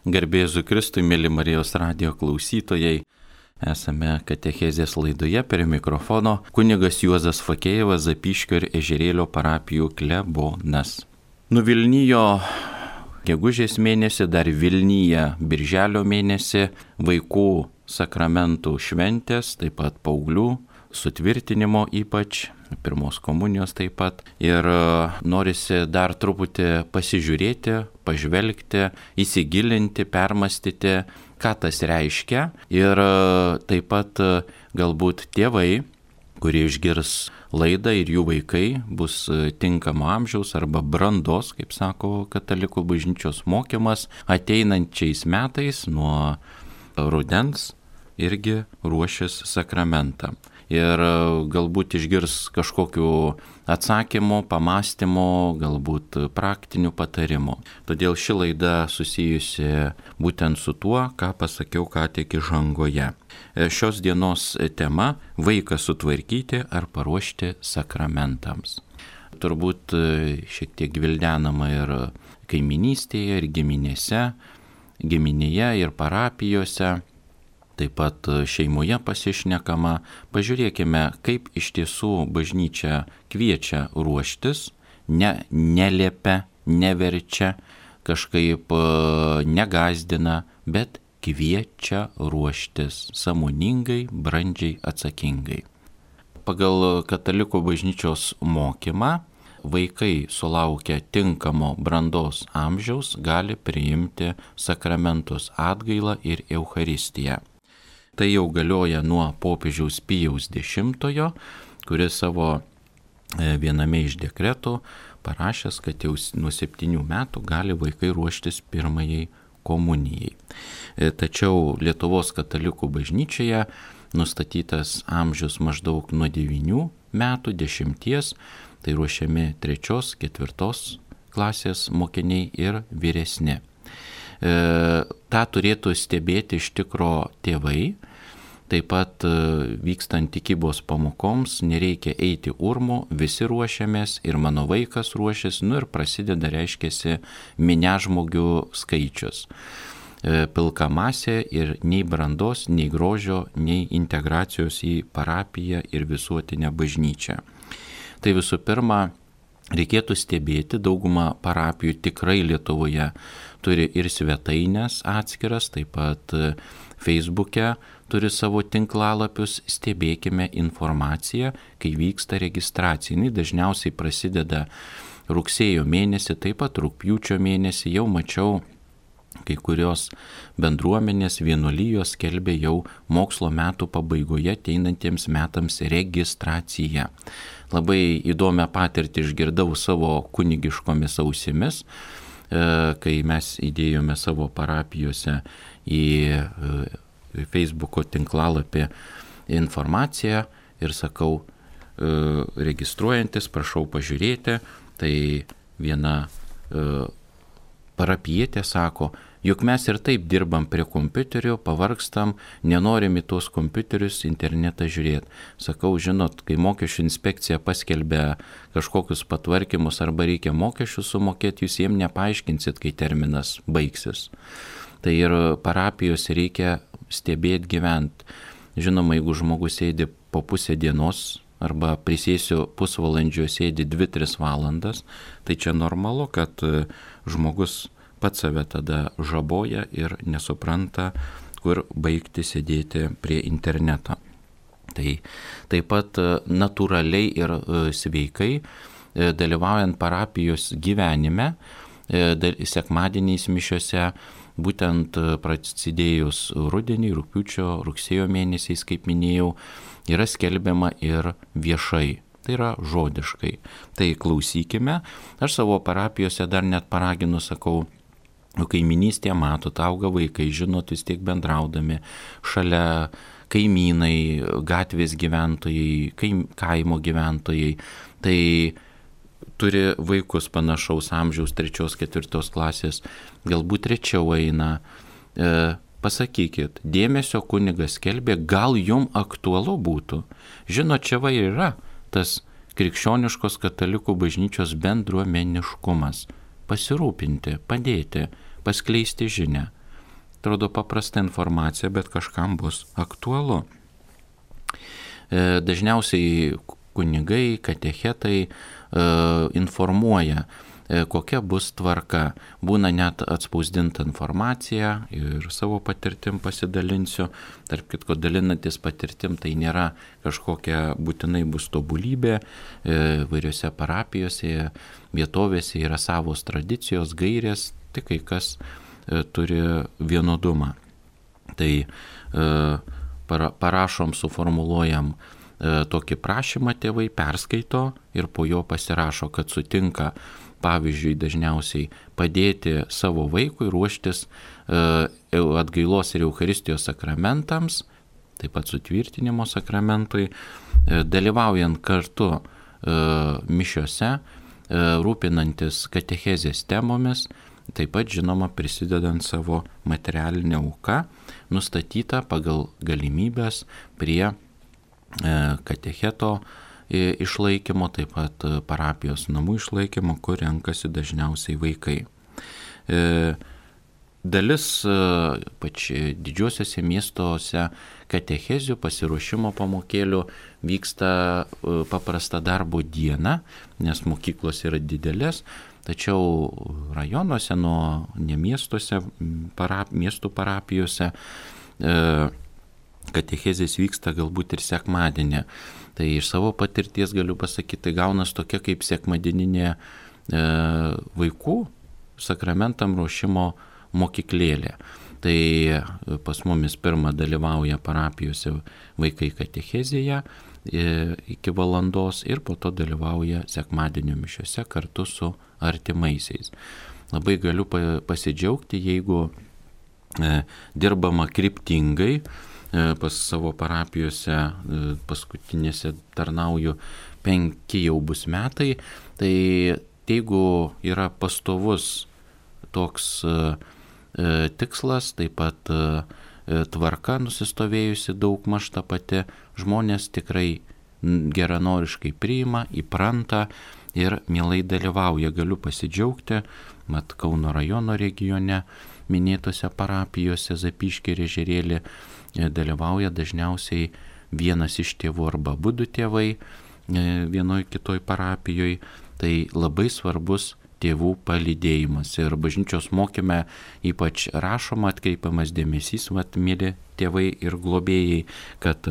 Garbė Jėzui Kristui, mėly Marijos radijo klausytojai, esame katechezės laidoje, prie mikrofono kunigas Juozas Fakėjevas, Zapyškio ir Ežerėlio parapijų klebonas. Nuvilnijo gegužės mėnesį, dar Vilnyje birželio mėnesį vaikų sakramentų šventės, taip pat paauglių sutvirtinimo ypač, pirmos komunijos taip pat. Ir norisi dar truputį pasižiūrėti, pažvelgti, įsigilinti, permastyti, ką tas reiškia. Ir taip pat galbūt tėvai, kurie išgirs laidą ir jų vaikai bus tinkamo amžiaus arba brandos, kaip sako katalikų bažnyčios mokymas, ateinančiais metais nuo rudens irgi ruošis sakramentą. Ir galbūt išgirs kažkokių atsakymų, pamastymų, galbūt praktinių patarimų. Todėl ši laida susijusi būtent su tuo, ką pasakiau ką tik įžangoje. Šios dienos tema – vaiką sutvarkyti ar paruošti sakramentams. Turbūt šiek tiek gvildenama ir kaiminystėje, ir giminėje, ir parapijose. Taip pat šeimoje pasišnekama. Pažiūrėkime, kaip iš tiesų bažnyčia kviečia ruoštis, neliepia, neverčia, kažkaip negazdina, bet kviečia ruoštis sąmoningai, brandžiai, atsakingai. Pagal katalikų bažnyčios mokymą vaikai sulaukę tinkamo brandos amžiaus gali priimti sakramentus atgailą ir Eucharistiją. Tai jau galioja nuo popiežiaus Pijaus X, kuris savo viename iš dekretų parašęs, kad jau nuo 7 metų gali vaikai ruoštis pirmajai komunijai. Tačiau Lietuvos katalikų bažnyčioje nustatytas amžius maždaug nuo 9 metų, 10, tai ruošiami 3, 4 klasės mokiniai ir vyresni. Ta turėtų stebėti iš tikro tėvai. Taip pat vykstant tikybos pamokoms nereikia eiti urmu, visi ruošiamės ir mano vaikas ruošiasi, ir prasideda, reiškiasi, miniažmogių skaičius. Pilka masė ir nei brandos, nei grožio, nei integracijos į parapiją ir visuotinę bažnyčią. Tai visų pirma, reikėtų stebėti, dauguma parapijų tikrai Lietuvoje turi ir svetainės atskiras, taip pat Facebook'e turi savo tinklalapius, stebėkime informaciją, kai vyksta registracija. Jis dažniausiai prasideda rugsėjo mėnesį, taip pat rugpjūčio mėnesį. Jau mačiau, kai kurios bendruomenės vienuolijos skelbė jau mokslo metų pabaigoje ateinantiems metams registraciją. Labai įdomią patirtį išgirdau savo kunigiškomis ausimis, kai mes įdėjome savo parapijose į Facebook'o tinklalapį informaciją ir sakau, registruojantis, prašau pažiūrėti, tai viena parapijietė sako, juk mes ir taip dirbam prie kompiuterio, pavargstam, nenorim į tuos kompiuterius internetą žiūrėti. Sakau, žinot, kai mokesčių inspekcija paskelbia kažkokius patvarkymus arba reikia mokesčių sumokėti, jūs jiem nepaaiškinsit, kai terminas baigsis. Tai ir parapijos reikia stebėti, gyventi. Žinoma, jeigu žmogus sėdi po pusę dienos arba prisėsiu pusvalandžio sėdi 2-3 valandas, tai čia normalu, kad žmogus pats save tada žaboja ir nesupranta, kur baigti sėdėti prie interneto. Tai taip pat natūraliai ir sveikai dalyvaujant parapijos gyvenime, sekmadieniais mišiose, būtent prasidėjus rudenį, rugpjūčio, rugsėjo mėnesiais, kaip minėjau, yra skelbiama ir viešai. Tai yra žodiškai. Tai klausykime. Aš savo parapijose dar net paraginu, sakau, kaiminystėje matot, auga vaikai, žinot, vis tiek bendraudami, šalia kaimynai, gatvės gyventojai, kaimo gyventojai, tai turi vaikus panašaus amžiaus 3-4 klasės, galbūt rečiau eina. Pasakykit, dėmesio kunigas skelbė, gal jum aktualu būtų. Žinot, čia va yra tas krikščioniškos katalikų bažnyčios bendruomeniškumas. Pasirūpinti, padėti, paskleisti žinią. atrodo paprasta informacija, bet kažkam bus aktualu. Dažniausiai kunigai, katechetai informuoja, kokia bus tvarka. Būna net atspausdinta informacija ir savo patirtim pasidalinsiu. Tarp kitko, dalinantis patirtim tai nėra kažkokia būtinai bus tobulybė. Vairiose parapijose, vietovėse yra savos tradicijos, gairės, tik kai kas turi vienodumą. Tai parašom, suformuluojam tokį prašymą, tėvai perskaito ir po jo pasirašo, kad sutinka, pavyzdžiui, dažniausiai padėti savo vaikui ruoštis atgailos ir Eucharistijos sakramentams, taip pat sutvirtinimo sakramentui, dalyvaujant kartu mišiose, rūpinantis katechezės temomis, taip pat, žinoma, prisidedant savo materialinę auką, nustatytą pagal galimybės prie katecheto išlaikymo, taip pat parapijos namų išlaikymo, kur renkasi dažniausiai vaikai. Dalis didžiuosiuose miestuose katechezių pasiruošimo pamokėlių vyksta paprasta darbo diena, nes mokyklos yra didelės, tačiau rajonuose, ne miestuose, miestų parapijose katechezės vyksta galbūt ir sekmadienį. Tai iš savo patirties galiu pasakyti, tai gaunas tokia kaip sekmadieninė vaikų sakramentam ruošimo mokyklėlė. Tai pas mumis pirmą dalyvauja parapijose vaikai katechezėje iki valandos ir po to dalyvauja sekmadienio mišiose kartu su artimaisiais. Labai galiu pasidžiaugti, jeigu dirbama kryptingai. Pas savo parapijose paskutinėse tarnauju 5 jau bus metai, tai jeigu yra pastovus toks tikslas, taip pat tvarka nusistovėjusi daugmaž ta pati, žmonės tikrai geranoriškai priima, įpranta ir mielai dalyvauja. Galiu pasidžiaugti, mat Kauno rajono regione minėtose parapijose Zapyškį ir Ežerėlį dalyvauja dažniausiai vienas iš tėvų arba abu tėvai vienoj kitoj parapijoje. Tai labai svarbus tėvų palydėjimas. Ir bažnyčios mokyme ypač rašoma, atkreipiamas dėmesys, mėly tėvai ir globėjai, kad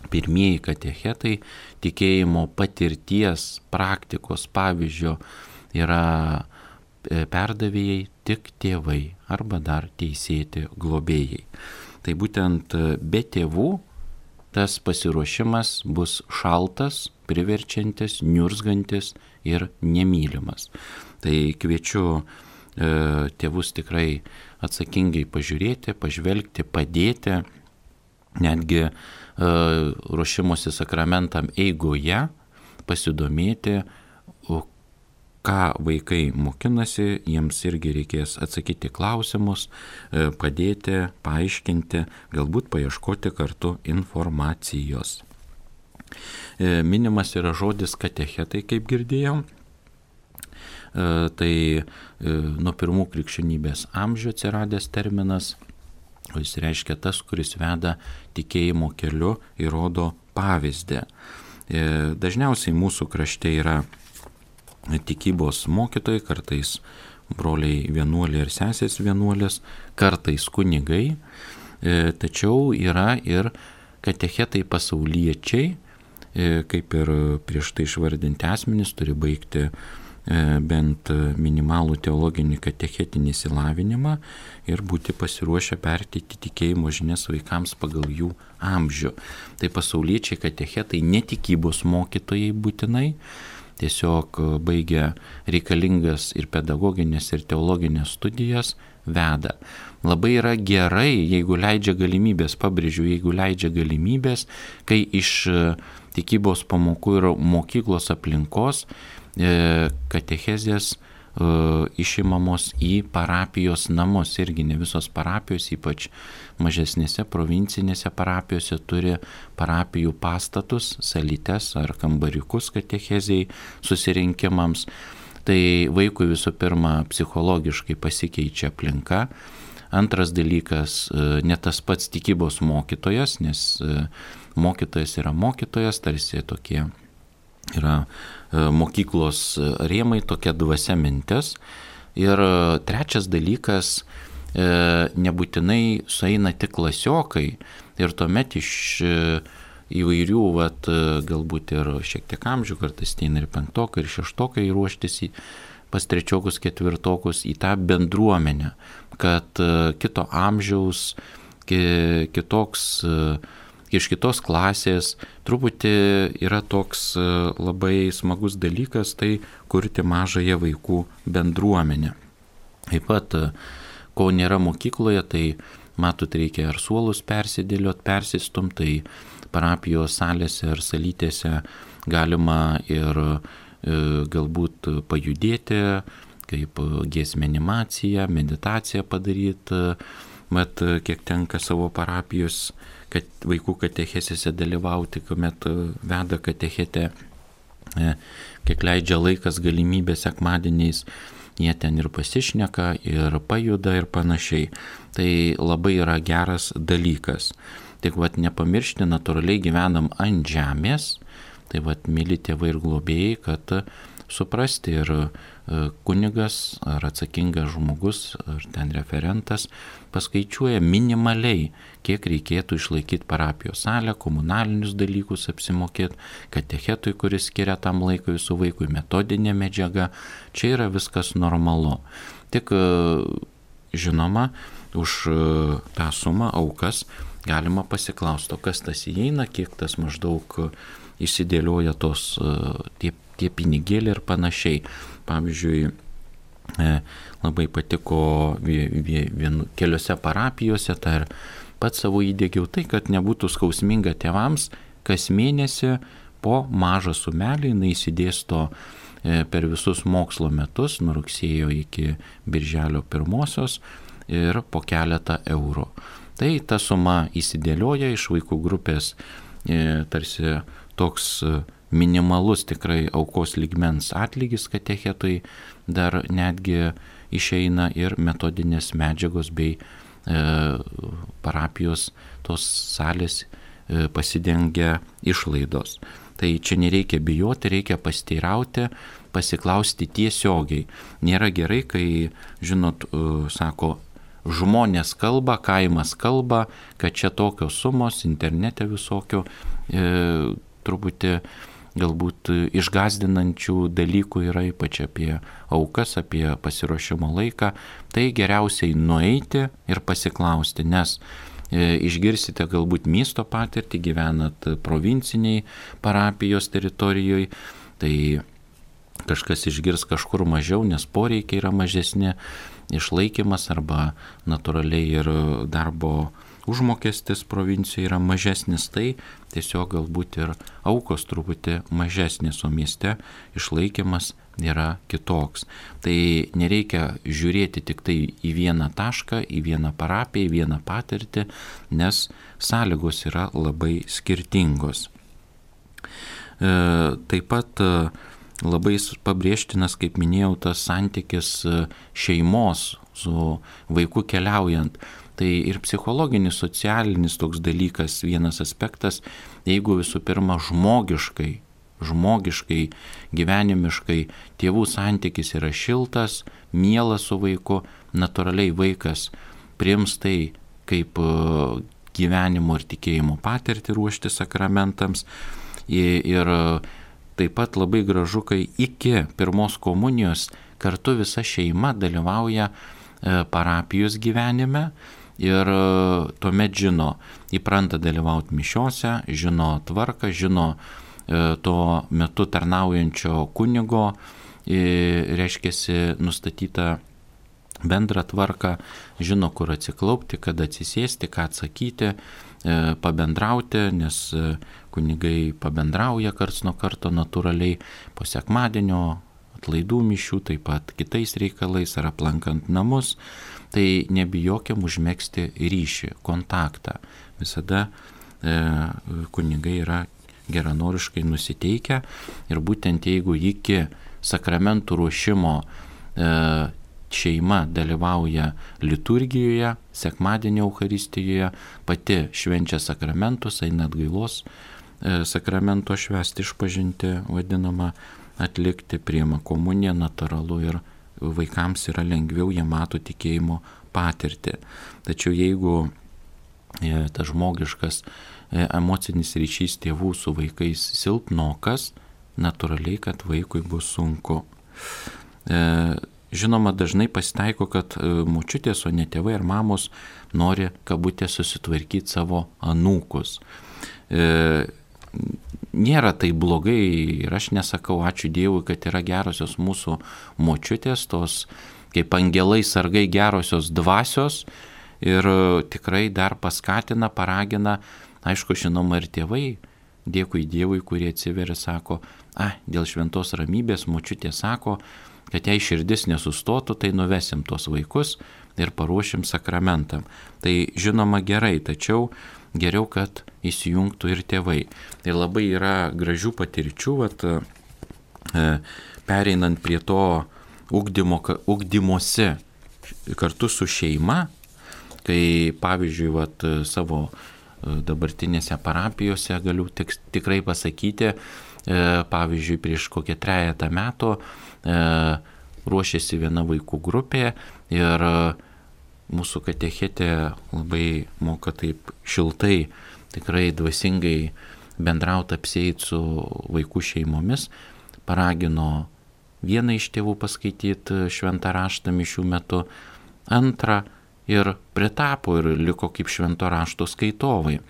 pirmieji katechetai tikėjimo patirties, praktikos pavyzdžio yra perdavėjai tik tėvai arba dar teisėti globėjai. Tai būtent be tėvų tas pasiruošimas bus šaltas, priverčiantis, niurzgantis ir nemylimas. Tai kviečiu tėvus tikrai atsakingai pažiūrėti, pažvelgti, padėti, netgi ruošimosi sakramentam eigoje pasidomėti, ką vaikai mokinasi, jiems irgi reikės atsakyti klausimus, padėti, paaiškinti, galbūt paieškoti kartu informacijos. Minimas yra žodis katechetai, kaip girdėjom. Tai nuo pirmų krikščionybės amžių atsiradęs terminas, jis reiškia tas, kuris veda tikėjimo keliu ir rodo pavyzdį. Dažniausiai mūsų krašte yra tikybos mokytojai, kartais broliai vienuoliai ir sesės vienuolės, kartais kunigai, tačiau yra ir katechetai pasauliečiai, kaip ir prieš tai išvardinti asmenys, turi baigti bent minimalų teologinį katechetinį išsilavinimą ir būti pasiruošę perteikti tikėjimo žinias vaikams pagal jų amžių. Tai pasauliečiai katechetai netikybos mokytojai būtinai, tiesiog baigia reikalingas ir pedagoginės, ir teologinės studijas, veda. Labai yra gerai, jeigu leidžia galimybės, pabrėžiu, jeigu leidžia galimybės, kai iš tikybos pamokų ir mokyklos aplinkos katechezės išimamos į parapijos namus. Irgi ne visos parapijos, ypač mažesnėse provincinėse parapijose, turi parapijų pastatus, salytes ar kambariukus katechezei susirinkimams. Tai vaikui visų pirma psichologiškai pasikeičia aplinka, Antras dalykas, ne tas pats tikybos mokytojas, nes mokytojas yra mokytojas, tarsi tokie yra mokyklos rėmai, tokia dvasia mintis. Ir trečias dalykas, nebūtinai sueina tik klasiokai ir tuomet iš įvairių, galbūt ir šiek tiek amžių, kartais ateina ir penktokai, ir šeštokai ruoštis pas trečiokus, ketvirtokus į tą bendruomenę, kad kito amžiaus, kitoks, iš kitos klasės truputį yra toks labai smagus dalykas, tai kurti mažąją vaikų bendruomenę. Taip pat, ko nėra mokykloje, tai matot, reikia ar suolus persidėliot, persistum, tai parapijos salėse ar salytėse galima ir galbūt pajudėti, kaip giesmė animacija, meditaciją padaryti, mat kiek tenka savo parapijos vaikų katechezėse dalyvauti, kuomet veda katechetę, kiek leidžia laikas, galimybė sekmadieniais, jie ten ir pasišneka, ir pajuda, ir panašiai. Tai labai yra geras dalykas. Tik nepamiršti, natūraliai gyvenam ant žemės, tai myli tėvai ir globėjai, kad suprasti ir kunigas ar atsakingas žmogus, ar ten referentas paskaičiuoja minimaliai, kiek reikėtų išlaikyti parapijos salę, komunalinius dalykus apsimokėti, katechetui, kuris skiria tam laikui su vaikui, metodinė medžiaga. Čia yra viskas normalu. Tik žinoma, už tą sumą aukas galima pasiklausti, kas tas įeina, kiek tas maždaug išsidėlioja tos tie pinigėliai ir panašiai. Pavyzdžiui, labai patiko keliose parapijose, tai ir pats savo įdėgiau tai, kad nebūtų skausminga tėvams, kas mėnesį po mažą sumelį jinai įsidėsto per visus mokslo metus, nuo rugsėjo iki birželio 1 ir po keletą eurų. Tai ta suma įsidėlioja iš vaikų grupės, tarsi toks minimalus tikrai aukos lygmens atlygis katechetui, dar netgi išeina ir metodinės medžiagos bei parapijos tos salės pasidengia išlaidos. Tai čia nereikia bijoti, reikia pasiteirauti, pasiklausti tiesiogiai. Nėra gerai, kai, žinot, sako, žmonės kalba, kaimas kalba, kad čia tokios sumos, internete visokio, truputį galbūt išgąsdinančių dalykų yra, ypač apie aukas, apie pasiruošimo laiką. Tai geriausiai nueiti ir pasiklausti, nes išgirsite galbūt miesto patirtį, gyvenat provinciniai parapijos teritorijoje, tai kažkas išgirs kažkur mažiau, nes poreikiai yra mažesni, išlaikymas arba natūraliai ir darbo užmokestis provincijoje yra mažesnis, tai tiesiog galbūt ir aukos truputį mažesnis, o mieste išlaikymas yra kitoks. Tai nereikia žiūrėti tik tai į vieną tašką, į vieną parapiją, į vieną patirtį, nes sąlygos yra labai skirtingos. Taip pat labai pabrėžtinas, kaip minėjau, tas santykis šeimos su vaiku keliaujant. Tai ir psichologinis, socialinis toks dalykas, vienas aspektas, jeigu visų pirma žmogiškai, gyvenimiškai tėvų santykis yra šiltas, mielas su vaiku, natūraliai vaikas priims tai kaip gyvenimo ir tikėjimo patirtį ruošti sakramentams. Ir taip pat labai gražu, kai iki pirmos komunijos kartu visa šeima dalyvauja parapijos gyvenime ir tuomet žino, įpranta dalyvauti mišiose, žino tvarką, žino tuo metu tarnaujančio kunigo, reiškiasi nustatytą bendrą tvarką, žino, kur atsiklaupti, kada atsisėsti, ką atsakyti, pabendrauti, nes kunigai pabendrauja karts nuo karto natūraliai po sekmadienio, atlaidų mišių, taip pat kitais reikalais ar aplankant namus, tai nebijokim užmegzti ryšį, kontaktą. Visada kunigai yra geranoriškai nusiteikę ir būtent jeigu iki sakramentų ruošimo šeima dalyvauja liturgijoje, sekmadienio Eucharistijoje, pati švenčia sakramentus, eina atgailos sakramento švęsti, išpažinti vadinamą atlikti, priima komuniją, natūralu, ir vaikams yra lengviau, jie mato tikėjimo patirtį. Tačiau jeigu tas žmogiškas emocinis ryšys tėvų su vaikais silpnokas, natūraliai, kad vaikui bus sunku. Žinoma, dažnai pasitaiko, kad močiutės, o ne tėvai ar mamos nori kabutė susitvarkyti savo anūkus. Nėra tai blogai ir aš nesakau, ačiū Dievui, kad yra gerosios mūsų močiutės, tos kaip angelai sargai gerosios dvasios, ir tikrai dar paskatina, paragina, aišku, žinoma, ir tėvai, dėkui Dievui, kurie atsiveria, sako, dėl šventos ramybės močiutė sako, kad jei širdis nesustotų, tai nuvesim tos vaikus ir paruošim sakramentam. Tai žinoma gerai, tačiau geriau, kad įsijungtų ir tėvai. Ir labai yra gražių patirčių, pereinant prie to ugdymosi kartu su šeima, kai pavyzdžiui, savo dabartinėse parapijose galiu tikrai pasakyti, pavyzdžiui, prieš kokią 3 metų ruošėsi viena vaikų grupė ir mūsų katechetė labai moka taip šiltai, tikrai dvasingai bendrauti, apsieiti su vaikų šeimomis, paragino vieną iš tėvų paskaityti šventą raštą mišių metu, antrą ir pritapo ir liko kaip švento rašto skaitovai.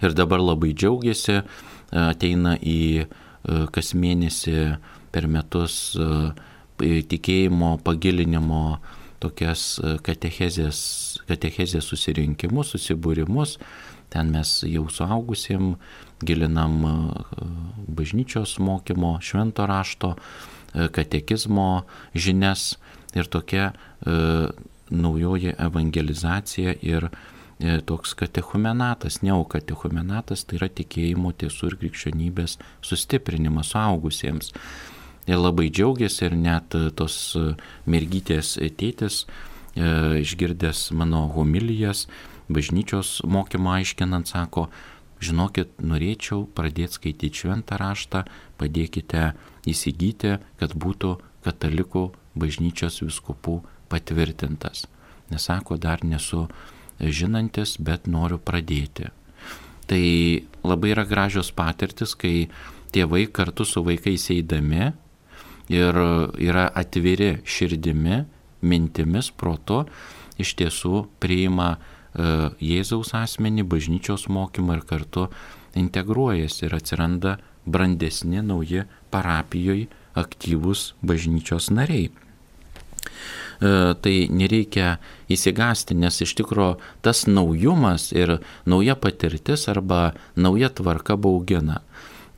Ir dabar labai džiaugiasi, ateina į kas mėnesį per metus tikėjimo pagilinimo tokias katechezės susirinkimus, susibūrimus. Ten mes jau suaugusiem gilinam bažnyčios mokymo, švento rašto, katekizmo žinias ir tokia naujoji evangelizacija ir toks katechumenatas, neokatechumenatas, tai yra tikėjimo, tiesų ir krikščionybės sustiprinimas suaugusiems. Ir labai džiaugiasi, ir net tos mergytės tėtis, išgirdęs mano homilijas, bažnyčios mokymą aiškinant, sako, žinokit, norėčiau pradėti skaityti šventą raštą, padėkite įsigyti, kad būtų katalikų bažnyčios vyskupų patvirtintas. Nesako, dar nesu žinantis, bet noriu pradėti. Tai labai yra gražios patirtis, kai tėvai kartu su vaikais eidami ir yra atviri širdimi, mintimis, protu, iš tiesų priima Jėzaus asmenį, bažnyčios mokymą ir kartu integruojasi ir atsiranda brandesni, nauji parapijoje aktyvūs bažnyčios nariai. Tai nereikia įsigąsti, nes iš tikro tas naujumas ir nauja patirtis arba nauja tvarka baugina.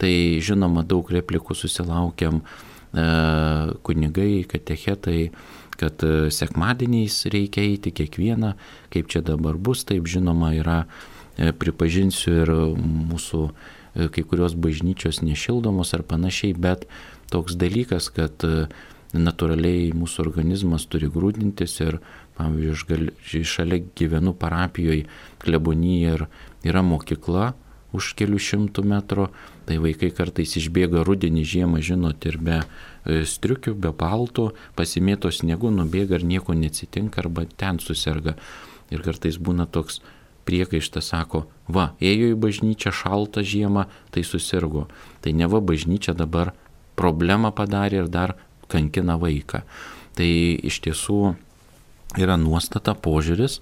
Tai žinoma, daug replikų susilaukiam kunigai, katechetai, kad sekmadieniais reikia eiti kiekvieną, kaip čia dabar bus, taip žinoma yra, pripažinsiu, ir mūsų kai kurios bažnyčios nešildomos ar panašiai, bet toks dalykas, kad natūraliai mūsų organizmas turi grūdintis ir, pavyzdžiui, šalia gyvenu parapijoje klebonijoje ir yra mokykla už kelių šimtų metrų, tai vaikai kartais išbėga rudenį, žiemą, žinot, ir be striukių, be paltų, pasimėto sniegu, nubėga ir nieko neatsitinka arba ten suserga. Ir kartais būna toks priekaištas, sako, ėjo į bažnyčią šaltą žiemą, tai susirgo. Tai neva bažnyčia dabar problemą padarė ir dar kankina vaiką. Tai iš tiesų yra nuostata, požiūris.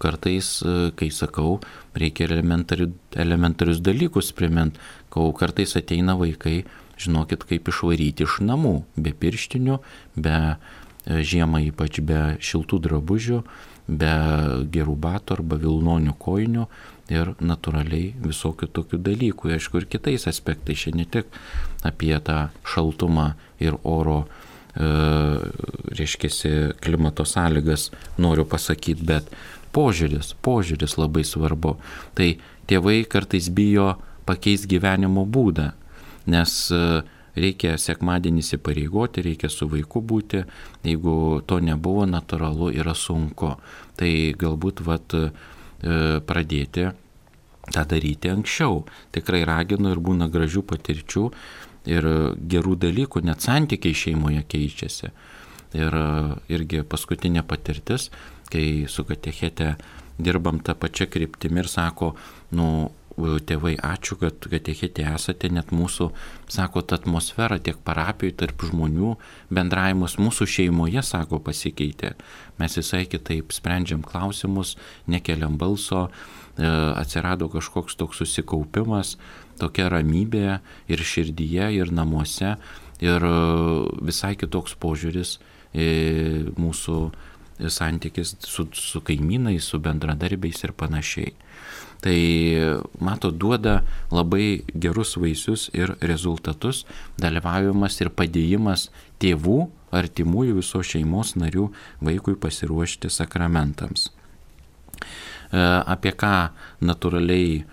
Kartais, kai sakau, reikia elementarius dalykus primint, kai kartais ateina vaikai, žinokit, kaip išvaryti iš namų, be pirštinių, be žiemą ypač be šiltų drabužių, be gerų batų arba vilnonių kojinių ir natūraliai visokių tokių dalykų. Aišku, ir kitais aspektais, čia ne tik apie tą šaltumą ir oro, reiškiasi, klimato sąlygas noriu pasakyti, bet požiūris labai svarbu. Tai tėvai kartais bijo pakeisti gyvenimo būdą, nes reikia sekmadienį įsipareigoti, reikia su vaiku būti, jeigu to nebuvo, natūralu, yra sunku. Tai galbūt pradėti tą daryti anksčiau. Tikrai raginu ir būna gražių patirčių ir gerų dalykų, net santykiai šeimoje keičiasi. Ir irgi paskutinė patirtis, kai su katechete dirbam tą pačią kryptimį ir sako, tėvai, ačiū, kad katechete esate, net mūsų, sako, ta atmosfera tiek parapijoje tarp žmonių, bendravimas mūsų šeimoje, sako, pasikeitė. Mes visai kitaip sprendžiam klausimus, nekeliam balso, atsirado kažkoks toks susikaupimas, tokia ramybė ir širdyje, ir namuose, ir visai kitoks požiūris mūsų santykis su kaimynais, su bendradarbiais ir panašiai. Tai, duoda labai gerus vaisius ir rezultatus dalyvavimas ir padėjimas tėvų, artimųjų, visos šeimos narių vaikui pasiruošti sakramentams. Apie ką natūraliai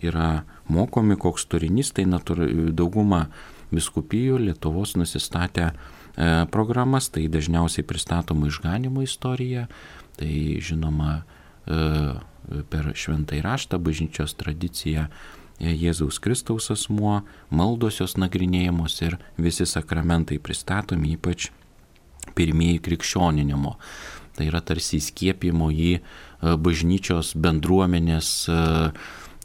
yra mokomi, koks turinys, tai dauguma vyskupijų Lietuvos nusistatę programas, tai dažniausiai pristatoma išganymo istorija, tai žinoma per šventąjį raštą, bažnyčios tradiciją, Jėzaus Kristaus asmuo, maldosios nagrinėjamos ir visi sakramentai pristatomi, ypač pirmieji krikščioninimo. Tai yra tarsi įskiepimo į bažnyčios bendruomenės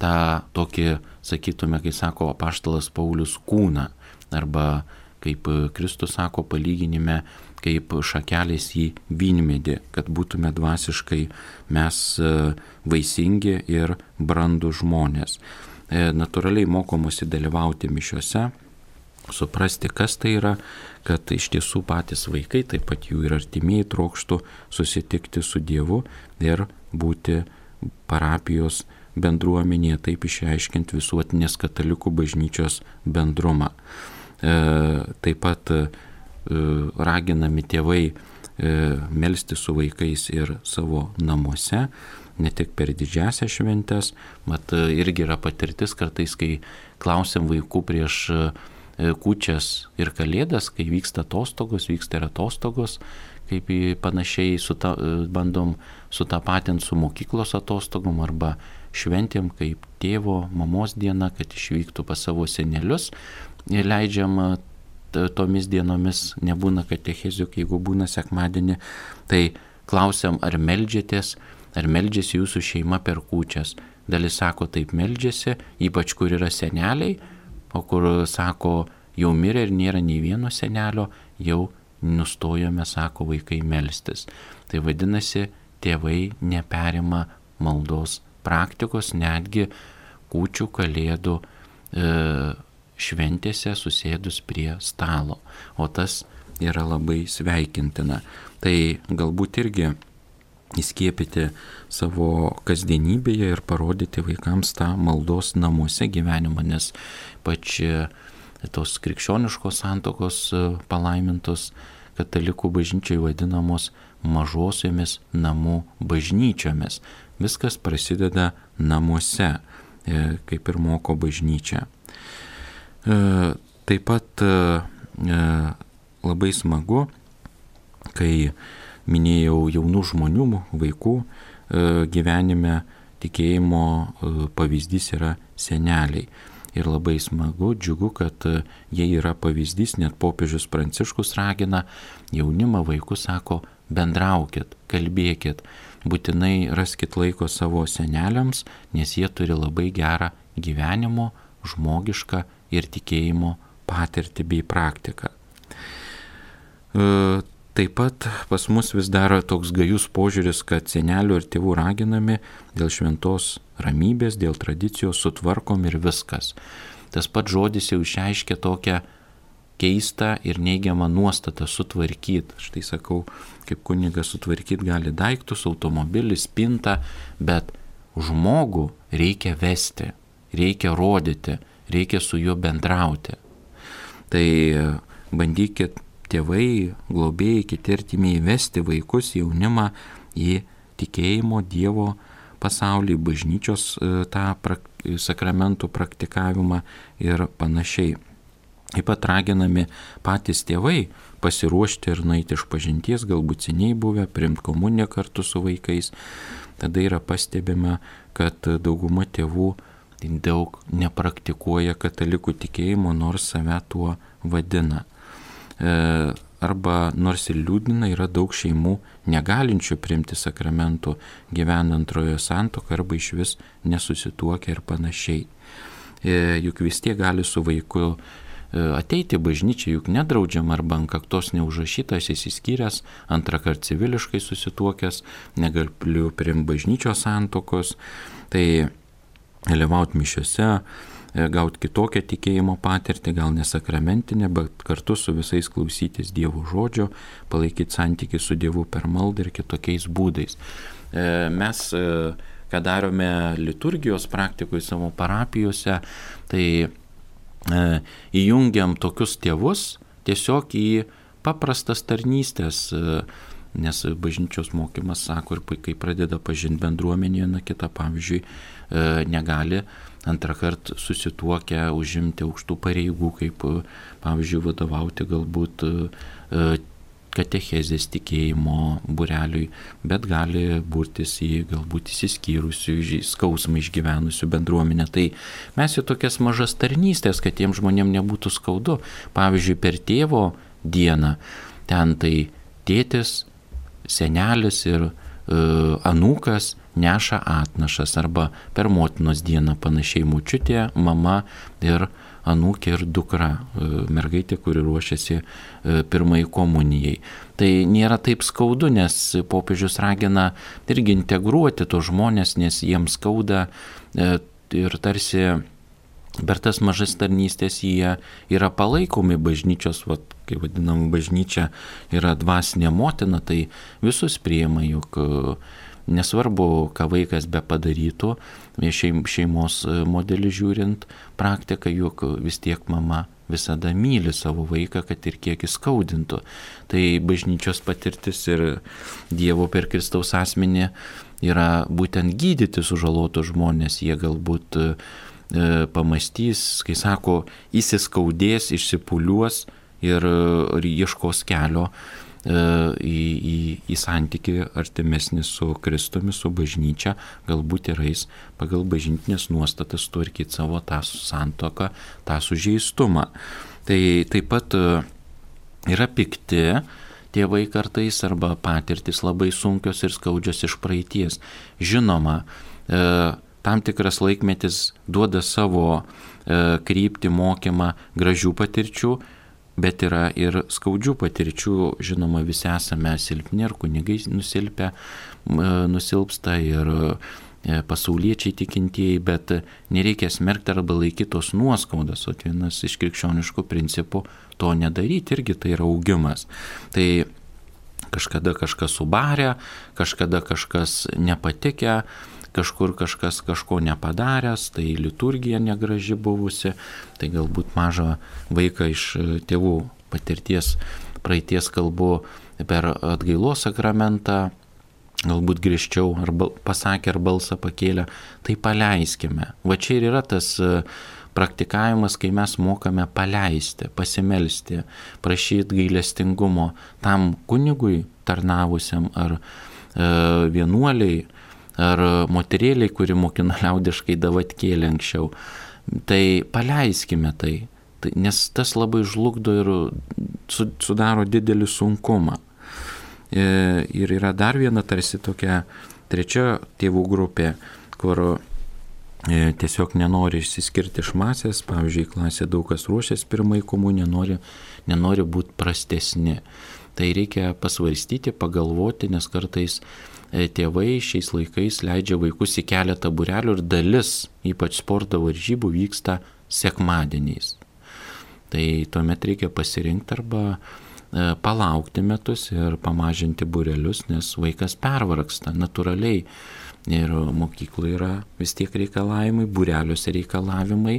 tą tokį, sakytume, kai sako apaštalas Paulius, kūną, arba kaip Kristus sako palyginime, kaip šakelės į vynmedį, kad būtume dvasiškai mes vaisingi ir brandūs žmonės. Natūraliai mokomusi dalyvauti mišiose, suprasti, kas tai yra, kad iš tiesų patys vaikai, taip pat jų ir artimieji trokštų susitikti su Dievu ir būti parapijos bendruomenėje, taip išreiškiant visuotinės katalikų bažnyčios bendrumą. Taip pat raginami tėvai melsti su vaikais ir savo namuose, ne tik per didžiąsias šventes, irgi yra patirtis kartais, kai klausiam vaikų prieš kūčias ir kalėdas, kai vyksta atostogos, vyksta ir atostogos, kaip panašiai bandom sutapatinti su mokyklos atostogom arba šventėm, kaip tėvo, mamos diena, kad išvyktų pas savo senelius. Ir leidžiam tomis dienomis, nebūna katechezių, jeigu būna sekmadienį, tai klausiam, ar meldžiasi jūsų šeima per kūčias. Dalis sako, taip meldžiasi, ypač kur yra seneliai, o kur sako, jau mirė ir nėra nei vieno senelio, jau nustojome, sako, vaikai melstis. Tai vadinasi, tėvai neperima maldos praktikos, netgi kūčių, kalėdų šventėse susėdus prie stalo, o tas yra labai sveikintina. Tai galbūt irgi įskiepyti savo kasdienybėje ir parodyti vaikams tą maldos namuose gyvenimą, nes pač tos krikščioniškos santuokos palaimintos katalikų bažnyčiai vadinamos mažosiomis namų bažnyčiomis. Viskas prasideda namuose, kaip ir moko bažnyčia. Taip pat labai smagu, kai minėjau jaunų žmonių, vaikų gyvenime tikėjimo pavyzdys yra seneliai. Ir labai smagu, džiugu, kad jie yra pavyzdys, net popiežius Pranciškus ragina jaunimą, vaikus, sako, bendraukit, kalbėkit, būtinai raskit laiko savo seneliams, nes jie turi labai gerą gyvenimo, žmogišką ir tikėjimo patirtį bei praktiką. Taip pat pas mus vis dar toks gajus požiūris, kad senelių ir tėvų raginami dėl šventos ramybės, dėl tradicijos sutvarkom ir viskas. Tas pats žodis jau išreiškia tokią keistą ir neigiamą nuostatą sutvarkyti. Štai sakau, kaip kunigas sutvarkyti gali daiktus, automobilį, spintą, bet žmogų reikia vesti, reikia rodyti, reikia su juo bendrauti. Tai bandykit tėvai, globėjai, kiti artimieji vesti vaikus, jaunimą į tikėjimo Dievo pasaulį, bažnyčios tą sakramentų praktikavimą ir panašiai. Taip pat raginami patys tėvai pasiruošti ir nueiti iš pažinties, galbūt seniai buvę, priimti komuniją kartu su vaikais. Tada yra pastebima, kad dauguma tėvų daug nepraktikuoja katalikų tikėjimo, nors save tuo vadina. Arba nors ir liūdina, yra daug šeimų negalinčių priimti sakramentų, gyvena antrojo santuoką arba iš vis nesusituokia ir panašiai. Juk vis tiek gali su vaiku ateiti bažnyčią, juk nedraudžiama, arba ant kaktos neužrašytas, išsiskyręs, antrą kartą civiliškai susituokęs, negaliu priimti bažnyčios santuokos, tai dalyvauti mišiose, gauti kitokią tikėjimo patirtį, gal nesakramentinę, bet kartu su visais klausytis Dievo žodžio, palaikyti santykį su Dievu per maldą ir kitokiais būdais. Mes, ką darome liturgijos praktikoje savo parapijose, tai įjungiam tokius tėvus tiesiog į paprastas tarnystės, nes bažnyčios mokymas sako, ir kai pradeda pažinti bendruomenėje, na kitą, pavyzdžiui, negali antrą kartą susituokę užimti aukštų pareigų, kaip, pavyzdžiui, vadovauti galbūt katechezės tikėjimo būreliui, bet gali burtis į galbūt įsiskyrusių, skausmą išgyvenusių bendruomenę. Tai mes į tokias mažas tarnystės, kad tiem žmonėm nebūtų skaudu. Pavyzdžiui, per tėvo dieną ten tai tėtis, senelis ir anūkas neša atnašas, arba per motinos dieną panašiai močiutė, mama ir anūkė ir dukra, mergaitė, kuri ruošiasi pirmai komunijai. Tai nėra taip skaudu, nes popiežius ragina irgi integruoti tos žmonės, nes jiems skauda ir tarsi per tas mažas tarnystės jie yra palaikomi bažnyčios, kai vadinam bažnyčia yra dvasinė motina, tai visus priima, juk nesvarbu, ką vaikas be padarytų, šeimos modelį žiūrint praktiką, juk vis tiek mama visada myli savo vaiką, kad ir kiek jis skaudintų. Tai bažnyčios patirtis ir Dievo per Kristaus asmenį yra būtent gydyti sužalotus žmonės. Jie galbūt pamastys, kai sako, įsiskaudės, išsipuliuos ir ieškos kelio į santykį artimesnį su Kristumi, su bažnyčia, galbūt ir eis pagal bažnytinės nuostatas tvarkyti savo tą santuoką, tą sužeistumą. Tai taip pat yra pikti tėvai kartais, arba patirtis labai sunkios ir skaudžios iš praeities. Žinoma, tam tikras laikmetis duoda savo kryptį, mokymą, gražių patirčių, bet yra ir skaudžių patirčių. Žinoma, visi esame silpni, ir kunigai nusilpsta, ir pasauliečiai tikintieji, bet nereikia smerkti arba laikyti tos nuoskaudas. O vienas iš krikščioniškų principų to nedaryti, irgi tai yra augimas. Tai kažkada kažkas subarė, kažkada kažkas nepatikę, kažkur kažkas kažko nepadaręs, tai liturgija negraži buvusi, tai galbūt mažą vaiką iš tėvų patirties praeities kalbu per atgailos sakramentą, galbūt griežčiau arba pasakė ar balsą pakėlė, tai paleiskime. Va čia ir yra tas praktikavimas, kai mes mokame paleisti, pasimelsti, prašyti gailestingumo tam kunigui tarnavusiam, ar vienuoliai, ar moterėliai, kuri mokina liaudiškai davatkėlę anksčiau. Tai paleiskime tai, nes tas labai žlugdo ir sudaro didelį sunkumą. Ir yra dar viena tarsi tokia trečia tėvų grupė, kur tiesiog nenori išsiskirti iš masės. Pavyzdžiui, klasė daug kas ruošiasi pirmai komunijai, nenori būti prastesni. Tai reikia pasvarstyti, pagalvoti, nes kartais tėvai šiais laikais leidžia vaikus į keletą būrelių, ir dalis, ypač sporto varžybų, vyksta sekmadieniais. Tai tuomet reikia pasirinkti arba palaukti metus ir pamažinti būrelius, nes vaikas pervargsta natūraliai. Ir mokykloje yra vis tiek reikalavimai, būreliuose reikalavimai,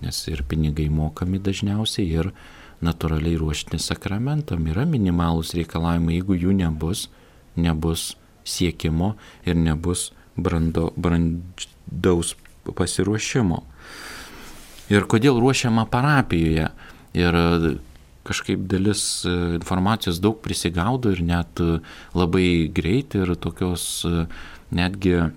nes ir pinigai mokami dažniausiai, ir natūraliai ruošti sakramentam yra minimalūs reikalavimai. Jeigu jų nebus siekimo ir nebus brandaus pasiruošimo. Ir kodėl ruošiama parapijoje? ir kažkaip dalis informacijos daug prisigaudo ir net labai greit ir tokios netgi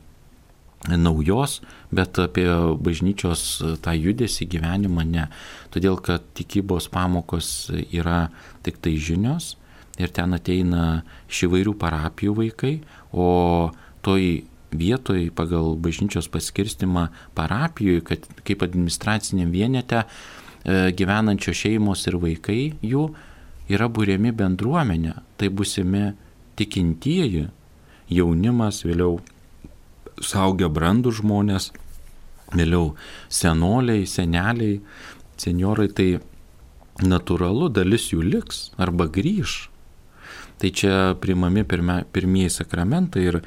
naujos, bet apie bažnyčios tą judesį gyvenimą ne. Todėl, kad tikybos pamokos yra tik tai žinios ir ten ateina iš įvairių parapijų vaikai, o toj vietoj pagal bažnyčios paskirstimą parapijoje, kad kaip administraciniam vienete gyvenančios šeimos ir vaikai jų yra būriami bendruomenė, tai būsimi tikintieji, jaunimas, vėliau suaugę brandų žmonės, vėliau senoliai, seneliai, senjorai, tai natūralu, dalis jų liks arba grįž. Tai čia priimami pirmieji sakramentai ir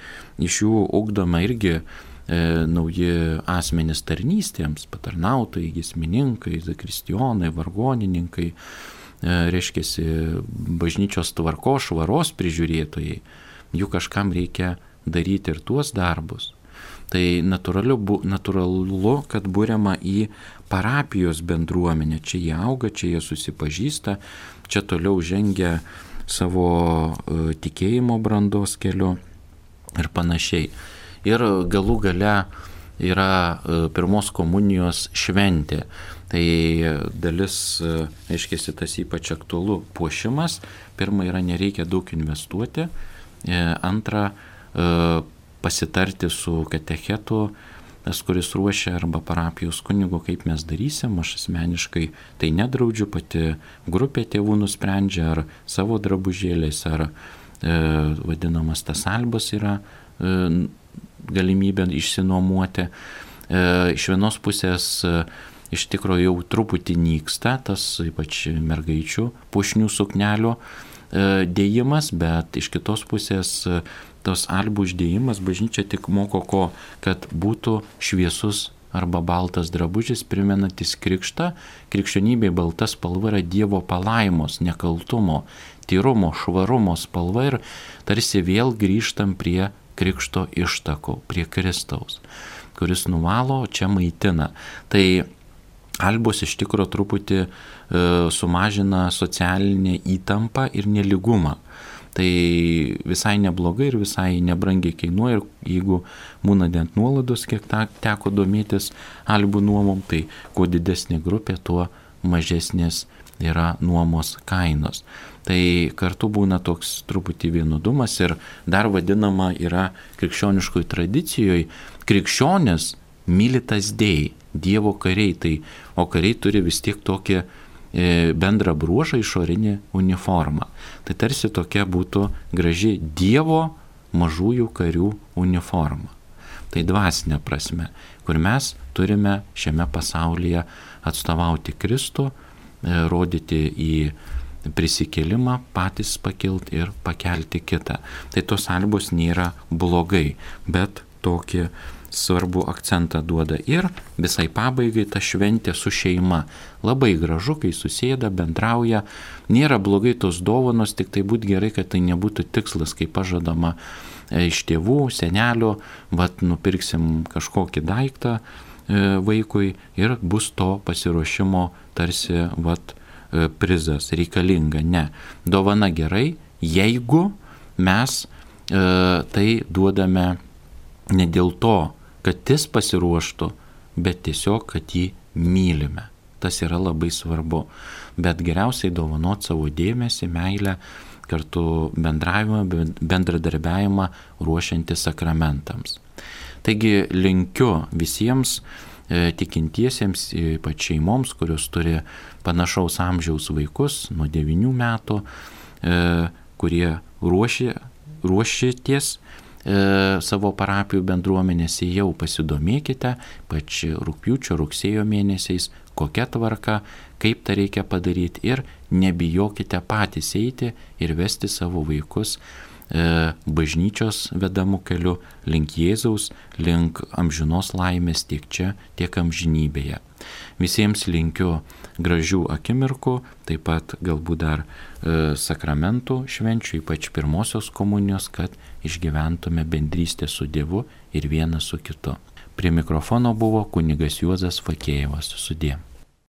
iš jų ugdoma irgi nauji asmenys tarnystėms, patarnautojai, giesmininkai, zakristijonai, vargonininkai, reiškiasi bažnyčios tvarkos, švaros prižiūrėtojai. Jų kažkam reikia daryti ir tuos darbus. Tai natūralu, kad būriama į parapijos bendruomenę. Čia jie auga, čia jie susipažįsta, čia toliau žengia savo tikėjimo brandos keliu ir panašiai. Ir galų gale yra pirmos komunijos šventė. Tai dalis, aiškiai, tas ypač aktualu puošimas. Pirma yra nereikia daug investuoti. Antra, pasitarti su katechetu, tas, kuris ruošia, arba parapijos kunigu, kaip mes darysim. Aš asmeniškai tai nedraudžiu, pati grupė tėvų nusprendžia, ar savo drabužėliais, ar vadinamas tas albas yra galimybė išsinuomuoti. Iš vienos pusės iš tikrųjų jau truputį nyksta tas ypač mergaičių puošnių suknelių dėjimas, bet iš kitos pusės tos albų uždėjimas bažnyčia tik moko ko, kad būtų šviesus arba baltas drabužis primenantis krikštą. Krikščionybėje balta spalva yra Dievo palaimos, nekaltumo, tyrumo, švarumo spalva ir tarsi vėl grįžtam prie krikšto ištakų, prie Kristaus, kuris nuvalo, čia maitina. Tai albos iš tikrųjų truputį sumažina socialinę įtampą ir nelygumą. Tai visai neblogai ir visai nebrangiai kainuoja, ir jeigu būna net nuolaidos, kiek teko domėtis albų nuomom, tai kuo didesnė grupė, tuo mažesnės yra nuomos kainos. Tai kartu būna toks truputį vienodumas ir dar vadinama yra krikščioniškoj tradicijoje krikščionis militas dei, Dievo kariai, tai, o kariai turi vis tiek tokį bendrą bruožą, išorinį uniformą. Tai tarsi tokia būtų graži Dievo mažųjų karių uniforma. Tai dvasinė prasme, kur mes turime šiame pasaulyje atstovauti Kristų, rodyti į prisikėlimą, patys pakilti ir pakelti kitą. Tai tos albos nėra blogai, bet tokį svarbu akcentą duoda. Ir visai pabaigai ta šventė su šeima. Labai gražu, kai susėda, bendrauja. Nėra blogai tos dovanos, tik tai būtų gerai, kad tai nebūtų tikslas, kaip pažadama iš tėvų, senelio, nupirksim kažkokį daiktą vaikui ir bus to pasiruošimo tarsi prizas reikalinga. Ne. Dovana gerai, jeigu mes tai duodame ne dėl to, kad jis pasiruoštų, bet tiesiog, kad jį mylime. Tas yra labai svarbu. Bet geriausiai dovanot savo dėmesį, meilę, kartu bendravimą, bendradarbiavimą ruošiantis sakramentams. Taigi linkiu visiems tikintiesiems, ypač šeimoms, kurios turi panašaus amžiaus vaikus nuo 9 metų, kurie ruošitės savo parapijų bendruomenėse, jau pasidomėkite, pač rugpjūčio, rugsėjo mėnesiais, kokia tvarka, kaip tą reikia padaryti ir nebijokite patys eiti ir vesti savo vaikus bažnyčios vedamų keliu link Jėzaus, link amžinos laimės tiek čia, tiek amžinybėje. Visiems linkiu gražių akimirkų, taip pat galbūt dar sakramentų švenčių, ypač pirmosios komunijos, kad išgyventume bendrystę su Dievu ir vienas su kitu. Prie mikrofono buvo kunigas Juozas Fakėjevas. Sudie.